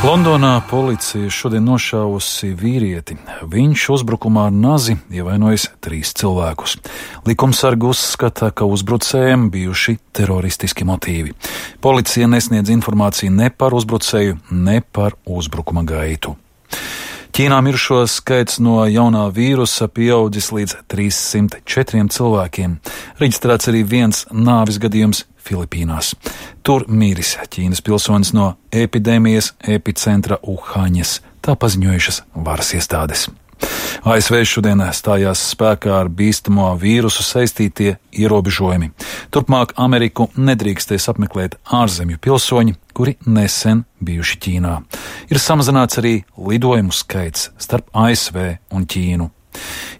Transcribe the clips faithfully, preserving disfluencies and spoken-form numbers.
Londonā policija šodien nošāvusi vīrieti. Viņš uzbrukumā ar nazi ievainojis trīs cilvēkus. Likumsargi uzskata, ka uzbrucējiem bijuši teroristiski motīvi. Policija nesniedz informāciju ne par uzbrucēju, ne par uzbrukuma gaitu. Ķīnā mirušo skaits no jaunā vīrusa pieaudzis līdz trīssimt četriem cilvēkiem. Reģistrēts arī viens nāves gadījums Filipīnās. Tur miris Ķīnas pilsonis no epidēmijas epicentra Uhaņas, tā paziņojušas varas iestādes. A S V šodien stājās spēkā ar bīstamo vīrusu saistītie ierobežojumi. Turpmāk Ameriku nedrīkstēs apmeklēt ārzemju pilsoņi, kuri nesen bijuši Ķīnā. Ir samazināts arī lidojumu skaits starp A S V un Ķīnu.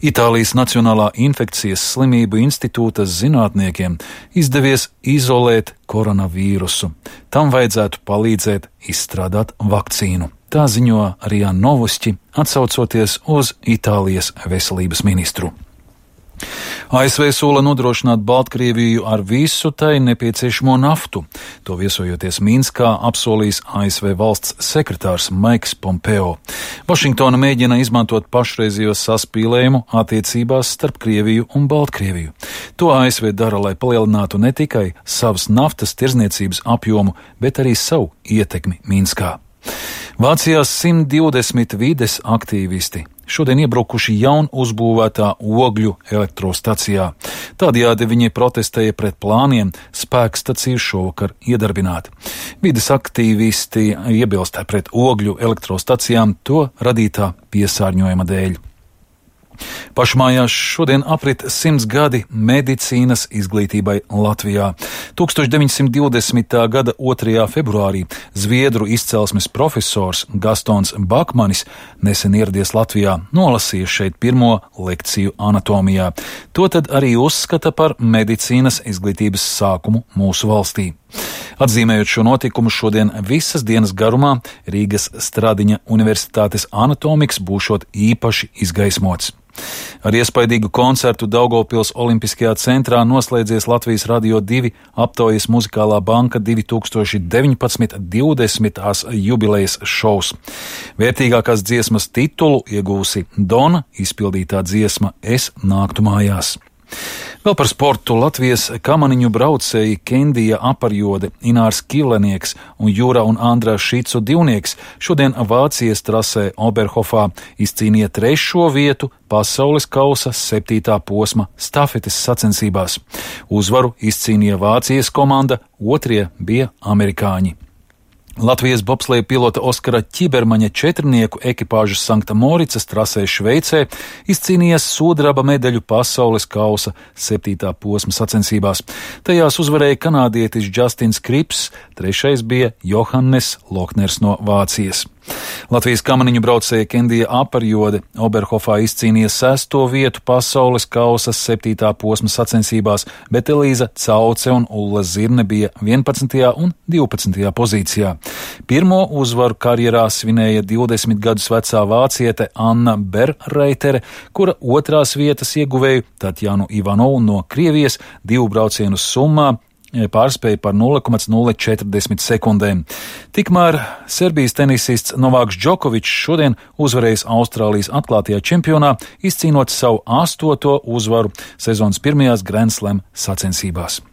Itālijas Nacionālā infekcijas slimību institūta zinātniekiem izdevies izolēt koronavīrusu. Tam vajadzētu palīdzēt izstrādāt vakcīnu. Tā ziņo Rija Novosti, atsaucoties uz Itālijas veselības ministru. A S V sola nodrošināt Baltkrieviju ar visu tai nepieciešamo naftu. To viesojoties Minskā apsolījis A S V valsts sekretārs Maiks Pompeo. Vašingtona mēģina izmantot pašreizējo saspīlējumu attiecībās starp Krieviju un Baltkrieviju. To A S V dara, lai palielinātu ne tikai savas naftas tirzniecības apjomu, bet arī savu ietekmi Minskā. Vācijā simt divdesmit vides aktīvisti šodien iebrukuši jaun uzbūvētā ogļu elektrostacijā. Tādējādi viņi protestēja pret plāniem spēkstaciju šovakar iedarbināt. Vides aktīvisti iebilst pret ogļu elektrostacijām to radītā piesārņojuma dēļ. Pašmājās šodien aprit simts gadi medicīnas izglītībai Latvijā. tūkstoš deviņsimt divdesmitā gada otrajā februārī zviedru izcelsmes profesors Gastons Bakmanis nesen ieradies Latvijā, nolasīja šeit pirmo lekciju anatomijā. To tad arī uzskata par medicīnas izglītības sākumu mūsu valstī. Atzīmējot šo notikumu, šodien visas dienas garumā Rīgas Stradiņa Universitātes anatomikas būšot īpaši izgaismots. Ar iespaidīgu koncertu Daugavpils Olimpiskajā centrā noslēdzies Latvijas Radio divi aptaujas muzikālā banka divi tūkstoši deviņpadsmit divdesmitās jubilejas šovs. Vērtīgākās dziesmas titulu iegūsi Dona izpildītā dziesma Es nāktu mājās. Vēl par sportu. Latvijas kamaniņu braucēji Kendija Aparjode, Inārs Kilenieks un Jūra un Andrā Šicu divnieks šodien Vācijas trasē Oberhofā izcīnīja trešo vietu pasaules kausa septītā posma stafetes sacensībās. Uzvaru izcīnīja Vācijas komanda, otrie bija amerikāņi. Latvijas bobsleja pilota Oskara Ķibermaņa četrnieku ekipāžas Sankta Moricas trasē Šveicē izcīnījās sudraba medaļu pasaules kausa septītā posma sacensībās. Tajās uzvarēja kanādietis Justins Krips, trešais bija Johannes Lokners no Vācijas. Latvijas kamaniņu braucēja Kendija Aparjode Oberhofā izcīnīja sesto vietu pasaules kausa septītā posma sacensībās, bet Elīza Cauce un Ulla Zirne bija vienpadsmitajā un divpadsmitajā pozīcijā. Pirmo uzvaru karjerā svinēja divdesmit gadus vecā vāciete Anna Berreitere, kura otrās vietas ieguvēju Tatjanu Ivanovu no Krievijas divu braucienu summā pārspēja par nulle komats nulle četrdesmit sekundēm. Tikmēr Serbijas tenisists Novāks Džokovičs šodien uzvarējis Austrālijas atklātajā čempionā, izcīnot savu astoto uzvaru sezonas pirmajās Grand Slam sacensībās.